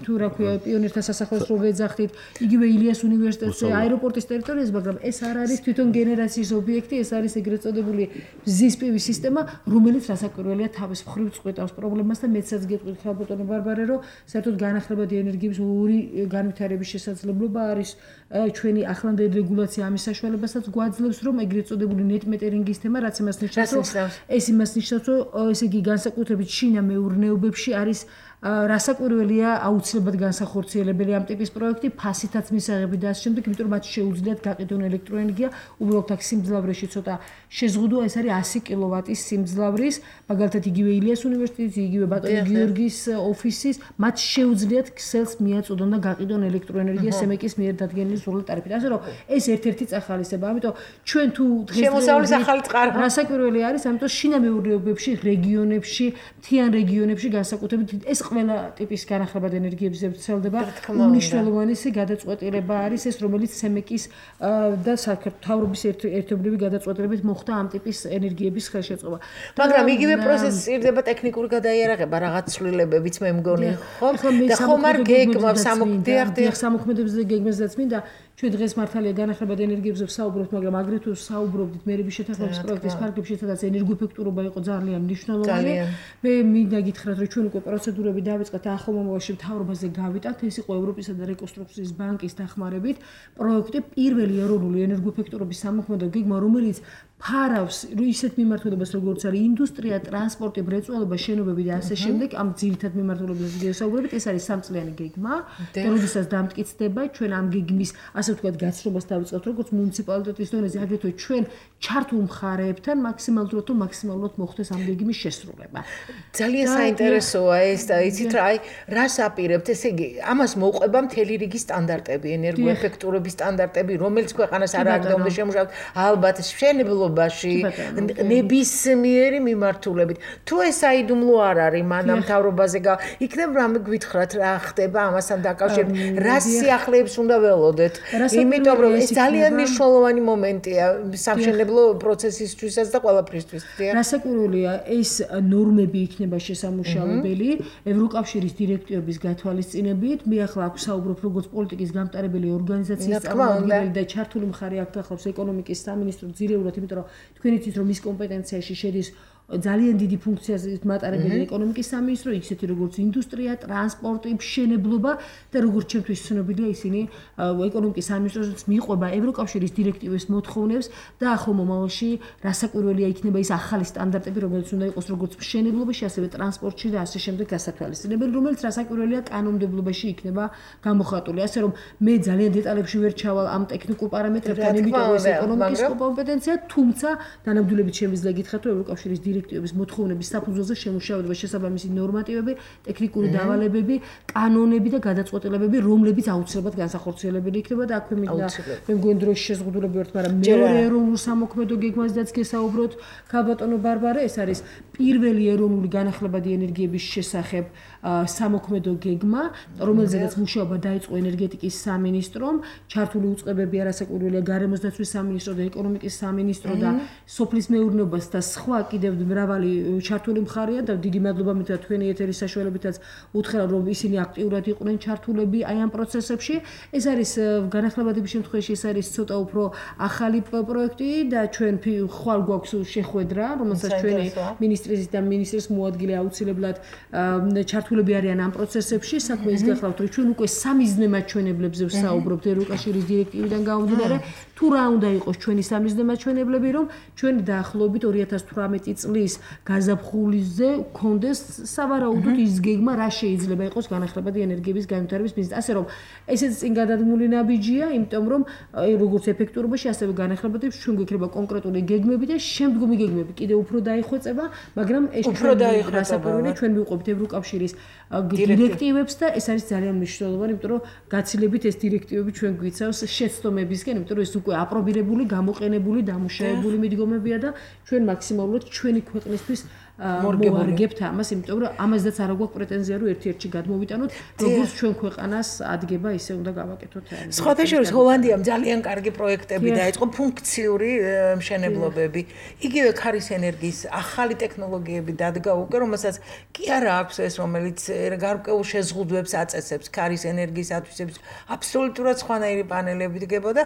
თუ რა ქვია პიონერთა სასახლეს რო ვეძახდით, იგივე ილიას უნივერსიტეტზე, აეროპორტის ტერიტორიაზე, მაგრამ ეს არ არის თვითონ გენერაციის ობიექტი, ეს არის ეგრეთ წოდებული მზის პი ვი სისტემა, რომელიც რასაკვირველია თავის მხრივ წყვეტავს პრობლემას და მეცაც გეტყვით ხალბატონო ბარბარე, რომ საერთოდ განახლებადი ენერგიის ორი განვითარების შესაძლებლობა არის ჩვენი ახლანდელი რეგულაცია ამის საშუალებასაც გვაძლევს, რომ ეგრეთ წოდებული net metering-ის თემა, რაც იმას ნიშნავს, რომ ეს იმას ნიშნავს, რომ ესე იგი განსაკუთრებით შინა მეურნეობებში არის რასაკვირველია აუცილებლად განსახორციელებელი ამ ტიპის პროექტი, ფასითაც მისაღები და ასე შემდეგ, იმიტომ რომ მათ შეუძლიათ გაყიდონ ელექტროენერგია, უბრალოდ აქ სიმძლავრეში ცოტა შეზღუდვა, ეს არის ასი კილოვატის სიმძლავრის, მაგალითად იგივე ილიას უნივერსიტეტის, იგივე ბატონი გიორგის ოფისის, მათ შეუძლიათ ქსელს მიაწოდონ და გაყიდონ ელექტროენერგია სემეკის მიერ დადგენილი სრული ტარიფით. ასე რომ ეს ერთ-ერთი წახალისება, ამიტომ ჩვენ თუ შემოსავლის ახალი წყარო რასაკვირველი არის, ამიტომ შინა მეურნეობებში, რეგიონებში, მთიან რეგიონებში განსაკუთრებით ეს ყველა ტიპის განახლებადი ენერგიებზე ვრცელდება. უნიშნელოვანი გადაწყვეტილება არის ეს, რომელიც სემეკის და საქართველოს ერთობლივი გადაწყვეტილებით მოხდა ამ ტიპის ენერგიების ხელშეწყობა. მაგრამ იგივე პროცესი სჭირდება ტექნიკური გადაიარაღება, რაღაც ცვლილებებიც მე მგონი, ხო? და ხომ არ გეგმავს სამოქმედებზე გეგმებზეც მინდა ჩვენ დღეს მართალია განახლებადი ენერგიებზე ვსაუბრობთ, მაგრამ აგრეთვე ვსაუბრობთ მერების შეთანხმების პროექტის ფარგლებში, სადაც ენერგოეფექტურობა იყო ძალიან მნიშვნელოვანი. მე მინდა გითხრათ, რომ ჩვენ უკვე პროცედურები დავიწყეთ ახლო მომავალში მთავრობაზე გავიტანთ, ეს იყო ევროპისა და რეკონსტრუქციის ბანკის დახმარებით პროექტი პირველი ეროვნული ენერგოეფექტურობის სამოქმედო გეგმა, რომელიც ფარავს ისეთ მიმართულებას, როგორც არის ინდუსტრია, ტრანსპორტი, მრეწველობა, შენობები და ასე შემდეგ, ამ ძირითად მიმართულებებზე ვსაუბრობთ, ეს არის სამწლიანი გეგმა, და როდესაც დამტკიცდება, ჩვენ ამ გეგმის ასე ვთქვათ, გაცნობას დავიწყებთ, როგორც მუნიციპალიტეტის დონეზე, აგრეთვე ჩვენ ჩართულ მხარეებთან მაქსიმალურად თუ მაქსიმალურად მოხდეს ამ გეგმის შესრულება. ძალიან საინტერესოა ეს და იცით რა, აი, რას აპირებთ, ესე იგი, ამას მოუყვება მთელი რიგი სტანდარტები, ენერგოეფექტურობის სტანდარტები, რომელიც ქვეყანას არ აკდომდა შემუშავებთ, ალბათ მშენებლობაში, ნებისმიერი მიმართულებით. თუ ეს საიდუმლო არ არის, მანამ მთავრობაზე იქნება რამე გვითხრათ, რა ხდება ამასთან დაკავშირებით, რა სიახლეებს უნდა ველოდეთ. იმიტომ რომ ეს ძალიან მნიშვნელოვანი მომენტია სამშენებლო პროცესისთვისაც და ყველაფრისთვის. რასაკვირველია, ეს ნორმები იქნება შესამუშავებელი ევროკავშირის დირექტივების გათვალისწინებით. მე ახლა აქ ვსაუბრობ როგორც პოლიტიკის გამტარებელი ორგანიზაციის წარმომადგენელი და ჩართული მხარე აქ ახლავს ეკონომიკის სამინისტრო ძირეულად, იმიტომ რომ თქვენ იცით რომ ის კომპეტენციაში შედის ძალიან დიდი ფუნქციას მატარებელი ეკონომიკის სამინისტრო, ისეთი როგორც ინდუსტრია, ტრანსპორტი, მშენებლობა და როგორც ჩემთვის ცნობილია ისინი ეკონომიკის სამინისტროსაც მიყვება ევროკავშირის დირექტივის მოთხოვნებს და ახლო მომავალში რასაკვირველია იქნება ის ახალი სტანდარტები, რომელიც უნდა იყოს როგორც მშენებლობაში, ასევე ტრანსპორტში და ასე შემდეგ გასათვალისწინებელი, რომელიც რასაკვირველია კანონმდებლობაში იქნება გამოხატული. ასე რომ მე ძალიან დეტალებში ვერ ჩავალ ამ ტექნიკურ პარამეტრებთან, იმიტომ რომ ეს ეკონომიკის კომპეტენცია, თუმცა დანამდვილებით შემიძლია გითხრათ, რომ ევროკავშირის დირექტივების მოთხოვნების საფუძველზე შემუშავება შესაბამისი ნორმატივები, ტექნიკური დავალებები, კანონები და გადაწყვეტილებები, რომლებიც აუცილებლად განსახორციელებელი იქნება და აქვე მინდა მე მგონი დროში შეზღუდულები ვართ, მაგრამ მეორე ეროვნულ სამოქმედო გეგმაზეც გესაუბროთ, ქალბატონო ბარბარა, ეს არის პირველი ეროვნული განახლებადი ენერგიების შესახებ სამოქმედო გეგმა, რომელზედაც მუშაობა დაიწყო ენერგეტიკის სამინისტრომ, ჩართული უწყებები არასაკვირველია გარემოს დაცვის სამინისტრო და ეკონომიკის სამინისტრო და სოფლის მეურნეობას და სხვა კიდევ მრავალი ჩართული მხარეა და დიდი მადლობა მითხრა თქვენი ეთერის საშუალებითაც უთხრა რომ ისინი აქტიურად იყვნენ ჩართულები აი ამ პროცესებში. ეს არის განახლებადების შემთხვევაში ეს არის ცოტა უფრო ახალი პროექტი და ჩვენ ხვალ გვაქვს შეხვედრა, რომელსაც ჩვენი მინისტრის და მინისტრის მოადგილე აუცილებლად ჩართულები არიან ამ პროცესებში. საქმე ის გახლავთ რომ ჩვენ უკვე სამიზნე მაჩვენებლებზე ვსაუბრობთ ევროკავშირის დირექტივიდან გამომდინარე, თუ რა უნდა იყოს ჩვენი სამიზნე მაჩვენებლები, რომ ჩვენ დაახლოებით ორი ათას თვრამეტი წლის გაზაფხულიზე გქონდეს სავარაუდოდ ის გეგმა, რა შეიძლება იყოს განახლებადი ენერგიების განვითარების მიზნით. ასე რომ ესეც წინ გადადგმული ნაბიჯია, იმიტომ რომ როგორც ეფექტურობაში, ასევე განახლებადებს ჩვენ გვექნება კონკრეტული გეგმები და შემდგომი გეგმები კიდევ უფრო დაიხვეწება, მაგრამ ეს ჩვენ რასაკვირველია ჩვენ მივყვებით ევროკავშირის დირექტივებს და ეს არის ძალიან მნიშვნელოვანი, იმიტომ რომ გაცილებით ეს დირექტივები ჩვენ გვიცავს შეცდომებისკენ, იმიტომ რომ ეს უკვე აპრობირებული, გამოყენებული, დამუშავებული მიდგომებია და ჩვენ მაქსიმალურად ჩვენი ქვეყნისთვის მოვარგებთ ამას, იმიტომ რომ ამაზეც არ აქვს პრეტენზია რომ ერთ-ერთში გადმოვიტანოთ, როგორც ჩვენ ქვეყანას ადგება, ისე უნდა გავაკეთოთ. სხვათა შორის ჰოლანდიამ ძალიან კარგი პროექტები დაიწყო, ფუნქციური მშენებლობები. იგივე ქარის ენერგიის ახალი ტექნოლოგიები დადგა უკვე, რომელსაც კი არა აქვს ეს, რომელიც გარკვეულ შეზღუდვებს აწესებს ქარის ენერგიის ათვისების. აბსოლუტურად სხვანაირი პანელები დგება და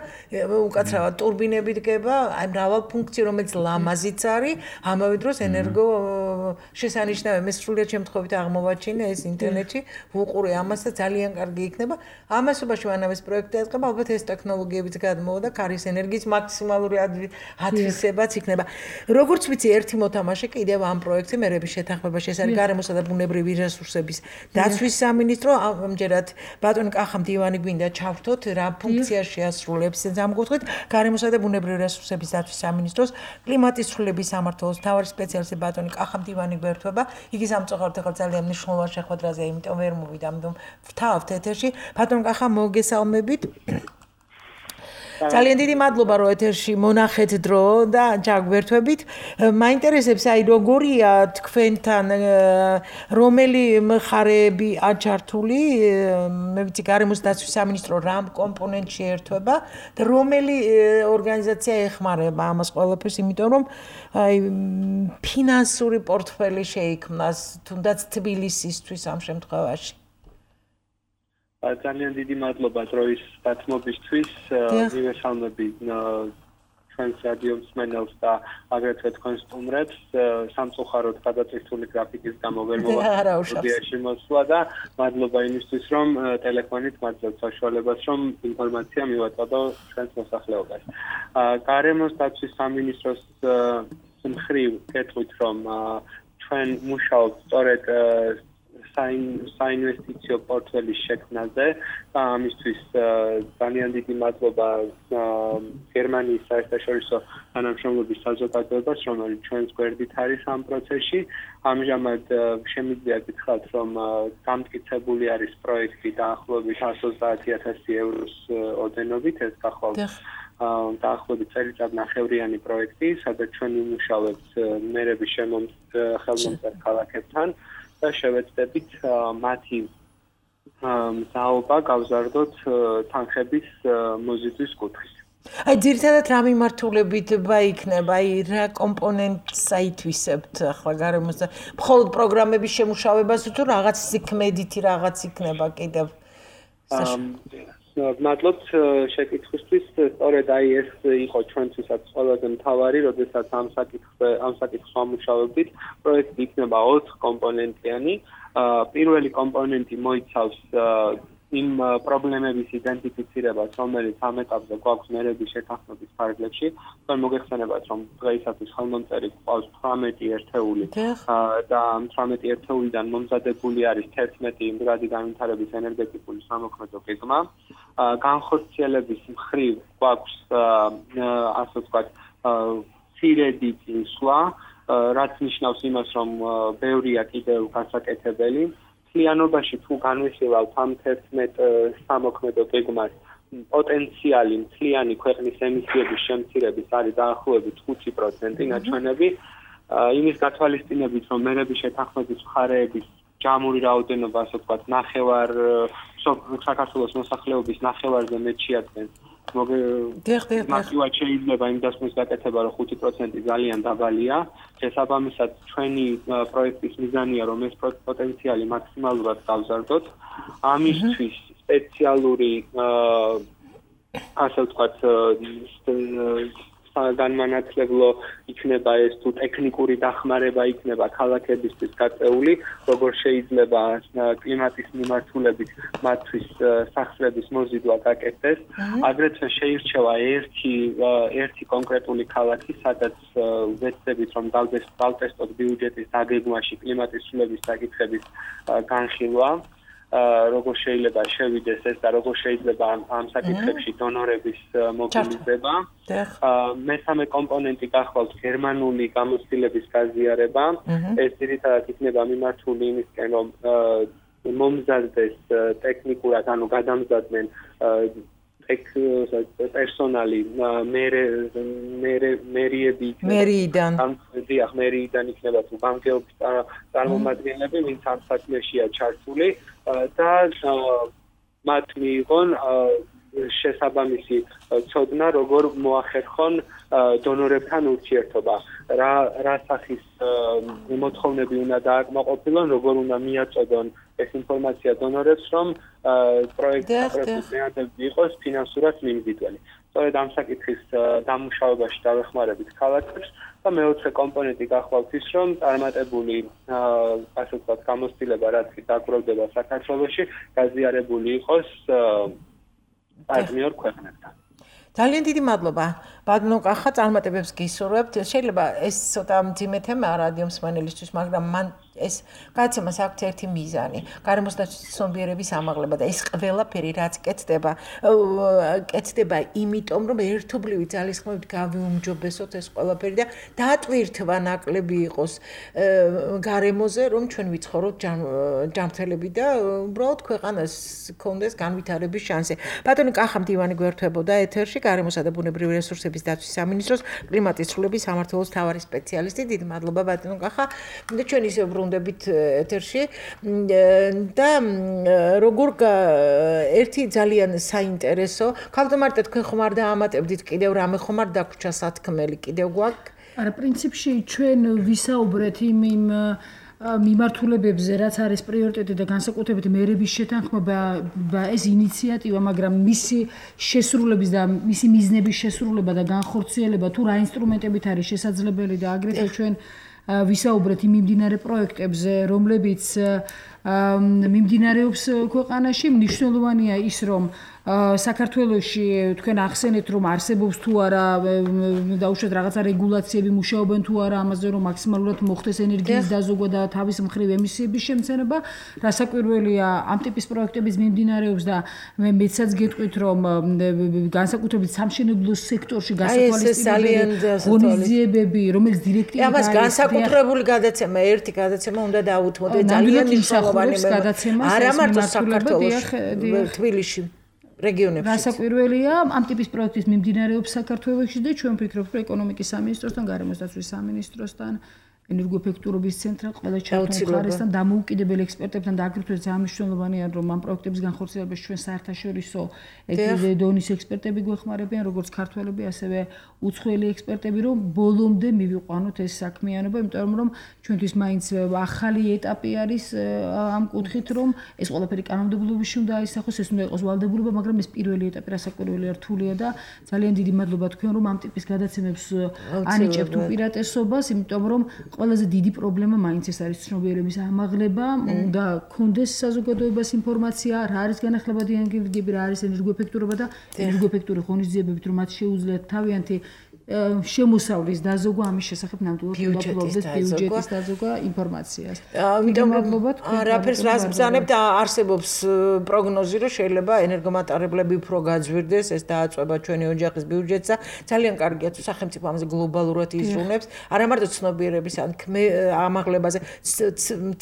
უკაცრავად ტურბინები დგება, აი მრავალ ფუნქცია, რომელიც ლამაზიც არის, ამავე დროს ენერგო შესანიშნავი მე სრულიად შემთხვევით აღმოვაჩინე ეს ინტერნეტში, ვუყურე ამას და ძალიან კარგი იქნება. ამასობაში მანამ ეს პროექტი დაიწყება, ალბათ ეს ტექნოლოგიებიც გადმოვა და ქარის ენერგიის მაქსიმალური ათვისებაც იქნება. როგორც ვიცი, ერთი მოთამაშე კიდევ ამ პროექტზე მერების შეთანხმებაში, ეს არის გარემოსა და ბუნებრივი რესურსების დაცვის სამინისტრო. ამჯერად ბატონი კახა მდივანი გვინდა ჩავრთოთ, რა ფუნქციას შეასრულებს ზამგოთქვით გარემოსა და ბუნებრივი რესურსების დაცვის სამინისტროს კლიმატის ცვლილების სამმართველოს მთავარი სპეციალისტი ბატონი კახა მდივანი გვერდება. იგი სამწუხაროდ ახლა ძალიან მნიშვნელოვან შეხვედრაზე, იმიტომ ვერ მოვიდა, ამიტომ ვთავთ ეთერში. ბატონ კახა, მოგესალმებით. ძალიან დიდი მადლობა რომ ეთერში მონახეთ დრო და ჯაგვერთვებით. მაინტერესებს აი როგორია თქვენთან რომელი მხარეები აჩართული, მე ვიცი გარემოს დაცვის სამინისტრო რამ კომპონენტში ერთვება და რომელი ორგანიზაცია ეხმარება ამას ყველაფერს, იმიტომ რომ აი ფინანსური პორტფელი შეიქმნას თუნდაც თბილისისთვის ამ შემთხვევაში. ძალიან დიდი მადლობა დროის გათმობისთვის. მივესალმები ჩვენს რადიო მსმენელს და აგრეთვე თქვენს სტუმრებს. სამწუხაროდ გადაწყვეტილი გრაფიკის გამო ვერ მოვახდინე მოსვლა და მადლობა იმისთვის, რომ ტელეფონით მაძლევთ საშუალებას, რომ ინფორმაცია მივაწოდო ჩვენს მოსახლეობას. გარემოს დაცვის სამინისტროს მხრივ გეტყვით, რომ ჩვენ მუშაობთ სწორედ საინვესტიციო პორტფელის შექმნაზე და ამისთვის ძალიან დიდი მადლობა გერმანიის საერთაშორისო თანამშრომლობის საზოგადოებას, რომელიც ჩვენს გვერდით არის ამ პროცესში. ამჟამად შემიძლია გითხრათ, რომ გამტკიცებული არის პროექტი დაახლოებით εκατს ოცდაათი ათასი ევროს ოდენობით, ეს გახლავთ დაახლოებით წელიწადნახევრიანი პროექტი, სადაც ჩვენ ვიმუშავებთ მერების ხელმომწერ ქალაქებთან და შევეცდებით მათი მზაობა გავზარდოთ თანხების მოზიდვის კუთხით. აი ძირითადად რა მიმართულებით იქნება, აი რა კომპონენტს აითვისებთ ახლა გარემოს და მხოლოდ პროგრამების შემუშავებას თუ რაღაც სიქმედითი რაღაც იქნება კიდევ? მადლობთ შეკითხვისთვის. სწორედ აი ეს იყო ჩვენთვისაც ყველაზე მთავარი, როდესაც ამ საკითხზე ამ საკითხს ვამუშავებდით. პროექტი იქნება ოთხ კომპონენტიანი. პირველი კომპონენტი მოიცავს იმ პრობლემების იდენტიფიცირებას, რომელიც ამ ეტაპზე გვაქვს მერების შეთანხმების ფარგლებში. თქვენ მოგეხსენებათ, რომ დღეისათვის ხელმომწერი გვყავს თვრამეტი ერთეული და ამ თვრამეტი ერთეულიდან მომზადებული არის თერთმეტი იმდროადი განვითარების ენერგეტიკული სამოქმედო გეგმა. განხორციელების მხრივ გვაქვს ასე ვთქვათ მცირედი წინსვლა, რაც ნიშნავს იმას, რომ ბევრია კიდევ გასაკეთებელი. მთლიანობაში თუ განვიხილავთ ამ თერთმეტ სამოქმედო გეგმას, პოტენციალი მთლიანი ქვეყნის ემისიების შემცირების არის დაახლოებით ხუთი პროცენტი ნაჩვენები. იმის გათვალისწინებით, რომ მერების შეთანხმების მხარეების ჯამური რაოდენობა, ასე ვთქვათ, ნახევარ საქართველოს მოსახლეობის ნახევარზე მეტ შეადგენს. მოგეხსენებათ, შეიძლება იმ დასკვნის გაკეთება, რომ ხუთი პროცენტი ძალიან დაბალია. შესაბამისად, ჩვენი პროექტის მიზანია, რომ ეს პოტენციალი მაქსიმალურად გავზარდოთ. ამისთვის სპეციალური ასე ვთქვათ განმანათლებლო იქნება ეს თუ ტექნიკური დახმარება იქნება ქალაქებისთვის გაწეული, როგორ შეიძლება კლიმატის მიმართულებით მათთვის სახსრების მოზიდვა გაკეთდეს. აგრეთვე შეირჩევა ერთი ერთი კონკრეტული ქალაქი, სადაც ვეცდებით, რომ დავტესტოთ ბიუჯეტის დაგეგმვაში კლიმატის ცვლილების საკითხების განხილვა. როგორ შეიძლება შევიდეს ეს და როგორ შეიძლება ამ საკითხებში დონორების მობილიზება. მესამე კომპონენტი გახლავთ გერმანული გამოცდილების გაზიარება. ეს ძირითადად იქნება მიმართული იმისკენ, რომ მომზადდეს ტექნიკურად, ანუ გადამზადდნენ პერსონალი მერიები მერიიდან დიახ მერიიდან იქნება თუ ბანკების წარმომადგენლები, ვინც ამ საქმეშია ჩართული და მათ მიიღონ შესაბამისი ცოდნა, როგორ მოახერხონ დონორებთან ურთიერთობა. რა რა სახის მოთხოვნები უნდა დააკმაყოფილონ, როგორ უნდა მიაწოდონ ეს ინფორმაცია დონორებს, რომ პროექტის მეანდები იყოს ფინანსურად მიმზიდველი. სწორედ ამ საკითხის დამუშავებაში დავეხმარებით ქალაქებს და მეოთხე კომპონენტი გახლავთ ის, რომ წარმატებული ასე ვთქვათ გამოცდილება, რაც კი დაგროვდება საქართველოში, გაზიარებული იყოს პარტნიორ ქვეყნებთან. ძალიან დიდი მადლობა. ბატონო კახა, წარმატებებს გისურვებთ. შეიძლება ეს ცოტა მძიმე თემაა რადიო მსმენელისთვის, მაგრამ მან ეს გადაცემას აქვს ერთი მიზანი. გარემოსდაცვის ცნობიერების ამაღლება და ეს ყველაფერი რაც კეთდება, კეთდება იმიტომ, რომ ერთობლივი ძალისხმევით გავიუმჯობესოთ ეს ყველაფერი და დატვირთვა ნაკლები იყოს გარემოზე, რომ ჩვენ ვიცხოვროთ ჯანმრთელები და უბრალოდ ქვეყანას გქონდეს განვითარების შანსი. ბატონო კახა მდივანი გვერდებოდა ეთერში, გარემოსა და ბუნებრივი რესურსების დაცვის სამინისტროს კლიმატის ცვლილების სამმართველოს მთავარი სპეციალისტი. დიდი მადლობა ბატონო კახა. და ჩვენ ისე ვბრუნდებით ეთერში და როგორ ერთი ძალიან საინტერესო, ქალთმარტე თქვენ ხომ არ დაამატებდით კიდევ რამე ხომ არ დაგვრჩა სათქმელი კიდევ გვაქვს? არა, პრინციპში ჩვენ ვისაუბრეთ იმ იმ მიმართულებებზე, რაც არის პრიორიტეტი და განსაკუთრებით მერების შეთანხმება და ეს ინიციატივა, მაგრამ მისი შესრულების და მისი მიზნების შესრულება და განხორციელება თუ რა ინსტრუმენტებით არის შესაძლებელი და აგრეთვე ჩვენ ვისაუბრეთ იმ მიმდინარე პროექტებზე, რომლებიც მიმდინარეობს ქვეყანაში. მნიშვნელოვანია ის, რომ საქართველოში თქვენ ახსენეთ, რომ არსებობს თუ არა დაუშვათ რაღაცა რეგულაციები, მუშაობენ თუ არა ამაზე, რომ მაქსიმალურად მოხდეს ენერგიის დაზოგვა და თავის მხრივ ემისიების შემცირება. რასაკვირველია, ამ ტიპის პროექტების მიმდინარეობს და მე მეცაც გეტყვით, რომ განსაკუთრებით სამშენებლო სექტორში გასათვალისწინებელი ღონისძიებები, რომელიც დირექტივით არის. ამას განსაკუთრებული გადაცემა, ერთი გადაცემა უნდა დაუთმოთ, ძალიან მნიშვნელოვანი გადაცემა. არა მარტო საქართველოში, თბილისში. რეგიონებში. რასაკვირველია, ამ ტიპის პროექტის მიმდინარეობს საქართველოში და ჩვენ ვფიქრობთ, რომ ეკონომიკის სამინისტროსთან, გარემოს დაცვის სამინისტროსთან ენერგოეფექტურობის ცენტრად ყველა ჩართულობასთან დამოუკიდებელ ექსპერტებთან და აგრეთვე ძალიან მნიშვნელოვანია რომ ამ პროექტების განხორციელებაში ჩვენ საერთაშორისო ეკიდე დონის ექსპერტები გვეხმარებიან როგორც ქართველები ასევე უცხოელი ექსპერტები რომ ბოლომდე მივიყვანოთ ეს საქმიანობა იმიტომ რომ ჩვენთვის მაინც ახალი ეტაპი არის ამ კუთხით რომ ეს ყველაფერი კანონმდებლობაში უნდა აისახოს ეს უნდა იყოს ვალდებულება მაგრამ ეს პირველი ეტაპი რასაკვირველია რთულია და ძალიან დიდი მადლობა თქვენ რომ ამ ტიპის გადაცემებს ანიჭებთ უპირატესობას იმიტომ რომ ყველაზე დიდი პრობლემა მაინც ეს არის ცნობიერების ამაღლება, უნდა გქონდეს საზოგადოებას ინფორმაცია, რა არის განახლებადი ენერგიები, რა არის ენერგოეფექტურობა და ენერგოეფექტური ღონისძიებებით, რომ მათ შეუძლიათ თავიანთი შემოსავლის დაზოგვა ამის შესახებ ნამდვილად უნდა ბიუჯეტის დაზოგვა ინფორმაციას. ამიტომ მადლობთ. რაფერს რას ბრძანებთ არსებობს პროგნოზი რომ შეიძლება ენერგომატარებლები უფრო გაძვირდეს, ეს დააწყვება ჩვენი ოჯახის ბიუჯეტსა. ძალიან კარგია თუ სახელმწიფო ამაზე გლობალურად იზრუნებს, არა მარტო ცნობიერების ან ამაღლებაზე,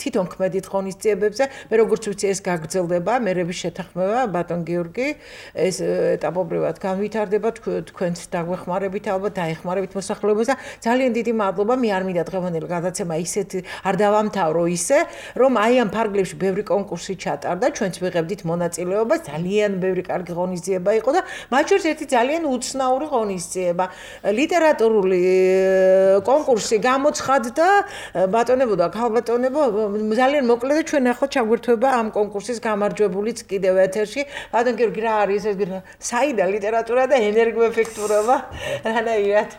თვითონ ქმედით ღონისძიებებზე, მე როგორც ვიცი ეს გაგრძელდება, მერების შეთანხმება, ბატონ გიორგი, ეს ეტაპობრივად განვითარდება, თქვენც დაგვეხმარებით ალბათ დაეხმარებით მოსახლეობას და ძალიან დიდი მადლობა მე არ მინდა დღევანდელი გადაცემა ისეთ არ დავამთავრო ისე რომ აი ამ ფარგლებში ბევრი კონკურსი ჩატარდა ჩვენც ვიღებდით მონაწილეობას ძალიან ბევრი კარგი ღონისძიება იყო და მათ შორის ერთი ძალიან უცნაური ღონისძიება ლიტერატურული კონკურსი გამოცხადდა ბატონებო და ქალბატონებო ძალიან მოკლედ და ჩვენ ახლა ჩაგვერთვება ამ კონკურსის გამარჯვებულიც კიდევ ეთერში ბატონ გიორგი რა არის ეს საიდა ლიტერატურა და ენერგოეფექტურობა რანაირად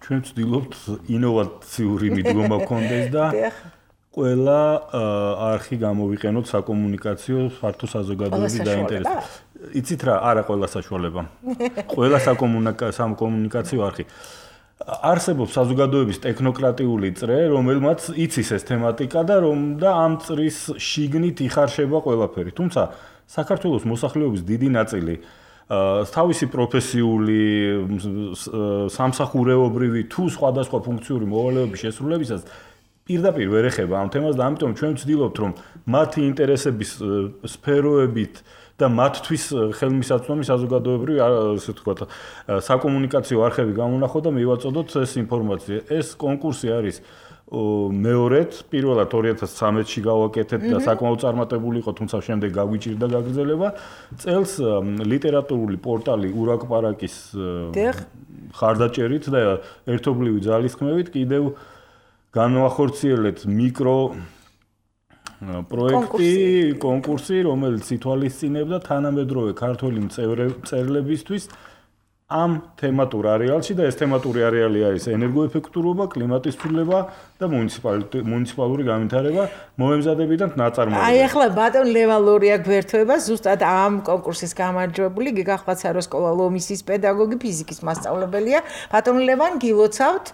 ჩვენ ვცდილობთ ინოვაციური მიდგომა გქონდეს და ყველა არხი გამოვიყენოთ საკომუნიკაციო ფართო საზოგადოების დაინტერესებას. იცით რა, არა ყველა საშუალება. ყველა საკომუნიკაციო არხი. არსებობს საზოგადოების ტექნოკრატიული წრე, რომელმაც იცის ეს თემატიკა და რომ და ამ წრის შიგნით იხარშება ყველაფერი. თუმცა საქართველოს მოსახლეობის დიდი ნაწილი თავისი პროფესიული სამსახურეობრივი თუ სხვადასხვა ფუნქციური მოვალეობის შესრულებისას პირდაპირ ვერ ეხება ამ თემას და ამიტომ ჩვენ ვცდილობთ რომ მათი ინტერესების სფეროებით და მათთვის ხელმისაწვდომი საზოგადოებრივი ასე ვთქვათ საკომუნიკაციო არხები გამონახოთ და მივაწოდოთ ეს ინფორმაცია. ეს კონკურსი არის მეორედ პირველად ორი ათას ცხრამეტში გავაკეთეთ და საკმაოდ წარმატებული იყო, თუმცა შემდეგ გაგვიჭირდა გაგრძელება. წელს ლიტერატურული პორტალი ურაკპარაკის ხარდაჭერით და ერთობლივი ძალისხმევით კიდევ განვახორციელეთ მიკრო პროექტი, კონკურსი, რომელიც ითვალისწინებდა თანამედროვე ქართველი მწერლებისთვის ამ თემატურ არეალში და ეს თემატური არეალი არის ენერგოეფექტურობა, კლიმატის ცვლილება და მუნიციპალური განვითარება მომემზადებიდან ნაწარმოებამდე. აი ახლა ბატონ ლევან ლორია გვერთვება ზუსტად ამ კონკურსის გამარჯვებული გიგახლა სკოლა ლომისის პედაგოგი ფიზიკის მასწავლებელია. ბატონ ლევან გილოცავთ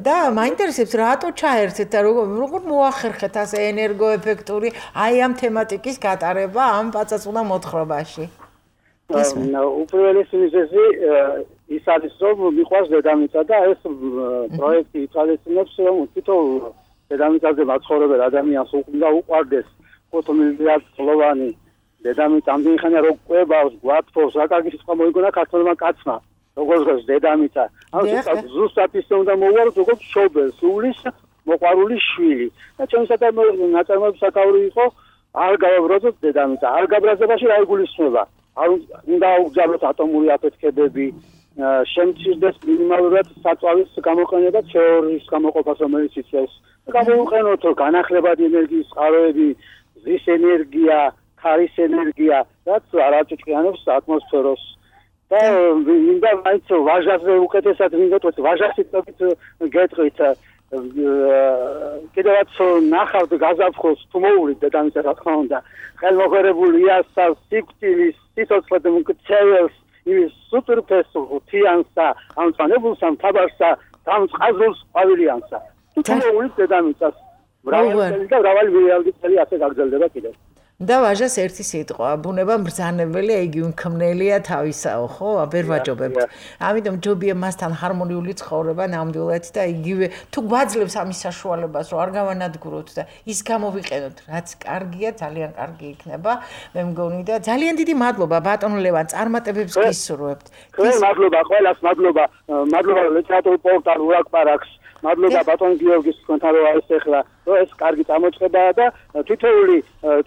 და მაინტერესებს რატო ჩაერთეთ და როგორ მოახერხეთ ასე ენერგოეფექტური აი ამ თემატიკის გატარება ამ პაწაწუნა მოთხრობაში. უპირველესი მიზეზი ის არის რომ მიყვარს დედამიწა და ეს პროექტი ითვალისწინებს რომ თითოეულ დედამიწაზე მაცხოვრებელ ადამიანს უნდა უყვარდეს ხუთ მილიარდოვანი დედამიწა ამდენი ხანია რომ ყვებავს, გვათბობს, რა კარგი სიტყვა მოიგონა ქართველმა კაცმა როგორც ღირს დედამიწა ანუ ზუსტად ისე უნდა მოუვაროს როგორც შობელს სულის მოყვარული შვილი და ჩვენი ნაწარმოების საკავრი იყო არ გავაბრაზოთ დედამიწა არ გაბრაზებაში რა იგულისხმება არ უნდა უგზავნოთ ატომური აფეთქებები, შემცირდეს მინიმალურად საწვავის გამოყენება თეორიის გამოყოფას, რომელიც იწევს. გამოვიყენოთ განახლებადი ენერგიის წყაროები, ზის ენერგია, ქარის ენერგია, რაც არ აწუჭყიანებს ატმოსფეროს. და მინდა მაინც ვაჟაზე უკეთესად ვინდოთ ვაჟასიტყვით გეტყვით კიდევაც ნახავთ გაზაფხულს თუ მოუვლით დედამიწა რა თქმა უნდა ხელმოხერებული იასავს სიკვდილის სიცოცხლე და მკცეველს ის სუპერფეს თიანსა ამ წანებულსა თაბარსა ამ წყაზულს ყვავილიანსა თუ მოუვლით დედამიწას მრავალი და მრავალი რეალიტეტი ასე გაგრძელდება კიდევ და ვაჟას ერთი სიტყვა, ბუნება მბრძანებელია, იგი უმქმნელია თავისაო, ხო? ვერ ვაჯობებთ. ამიტომ ჯობია მასთან ჰარმონიული ცხოვრება ნამდვილად და იგივე თუ გვაძლევს ამის საშუალებას, რომ არ გავანადგუროთ და ის გამოვიყენოთ, რაც კარგია, ძალიან კარგი იქნება. მე მგონი და ძალიან დიდი მადლობა ბატონ ლევან, წარმატებებს გისურვებთ. მადლობა ყველას, მადლობა, მადლობა ლიტერატურულ პორტალ ურაკპარაკს მადლობა ბატონ გიორგის თქვენთან რომ არის ახლა რომ ეს კარგი წამოწყებაა და თითოეული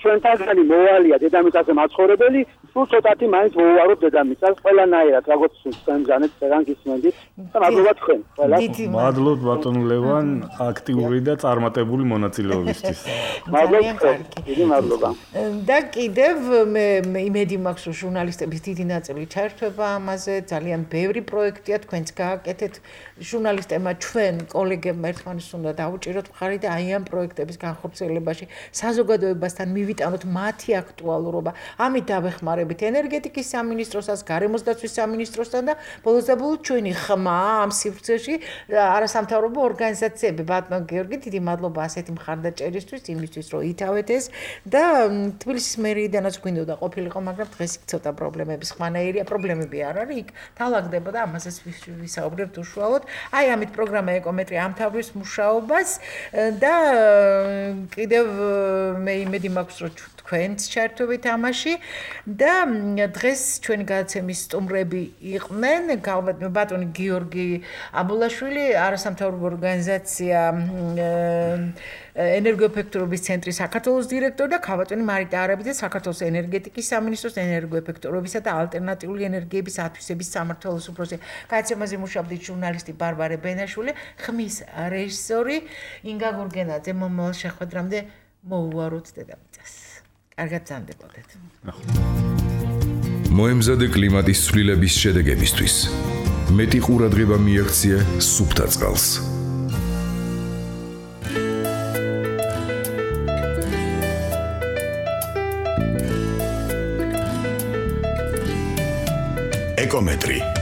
ჩვენთანგანი მოვალია დედამიწაზე მაცხოვრებელი სულ ცოტათი მაინც მოუვაროთ დედამიწას ყველანაირად როგორც თქვენ ბრძანეთ წერან გისმენდით და მადლობა თქვენ ყველა მადლობთ ბატონ ლევან აქტიური და წარმატებული მონაწილეობისთვის მადლობა დიდი მადლობა და კიდევ მე იმედი მაქვს რომ ჟურნალისტების დიდი ნაწილი ჩაერთვება ამაზე ძალიან ბევრი პროექტია თქვენც გააკეთეთ ჟურნალისტებმა ჩვენ კოლეგებმა ერთმანეთს უნდა დაუჭიროთ მხარი და აი ამ პროექტების განხორციელებაში საზოგადოებასთან მივიტანოთ მათი აქტუალურობა ამით დავეხმარებით ენერგეტიკის სამინისტროსაც გარემოს დაცვის სამინისტროსთან და ბოლოს და ბოლოს ჩვენი ხმა ამ სივრცეში არასამთავრობო ორგანიზაციები ბატონ გიორგი დიდი მადლობა ასეთი მხარდაჭერისთვის იმისთვის რომ ითავეთ ეს და თბილისის მერიიდანაც გვინდოდა ყოფილიყო მაგრამ დღეს იქ ცოტა პრობლემების ხმანაირია პრობლემები არ არის იქ თავაგდებოდა ამასაც ვისაუბრებთ უშუალოდ აი ამით პროგრამა ეკომეტრი ამთავრებს მუშაობას და კიდევ მე იმედი მაქვს რომ თქვენც ჩაერთვებით ამაში და დღეს ჩვენი გადაცემის სტუმრები იყვნენ ბატონი გიორგი აბულაშვილი არასამთავრობო ორგანიზაცია ენერგოეფექტურობის ცენტრის საქართველოს დირექტორი და ქალბატონი მარიტა არაბიძე საქართველოს ენერგეტიკის სამინისტროს ენერგოეფექტურობისა და ალტერნატიული ენერგიების ათვისების სამმართველოს უფროსი. გადაცემაზე მუშაობდით ჟურნალისტი ბარბარე ბენაშვილი, ხმის რეჟისორი ინგა გურგენაძე. მომავალ შეხვედრამდე მოუვაროთ დედამიწას. კარგად გრძანდებოდეთ. მოემზადე კლიმატის ცვლილების შედეგებისთვის. მეტი ყურადღება მიაქცია სუფთა წყალს. ეკომეტრი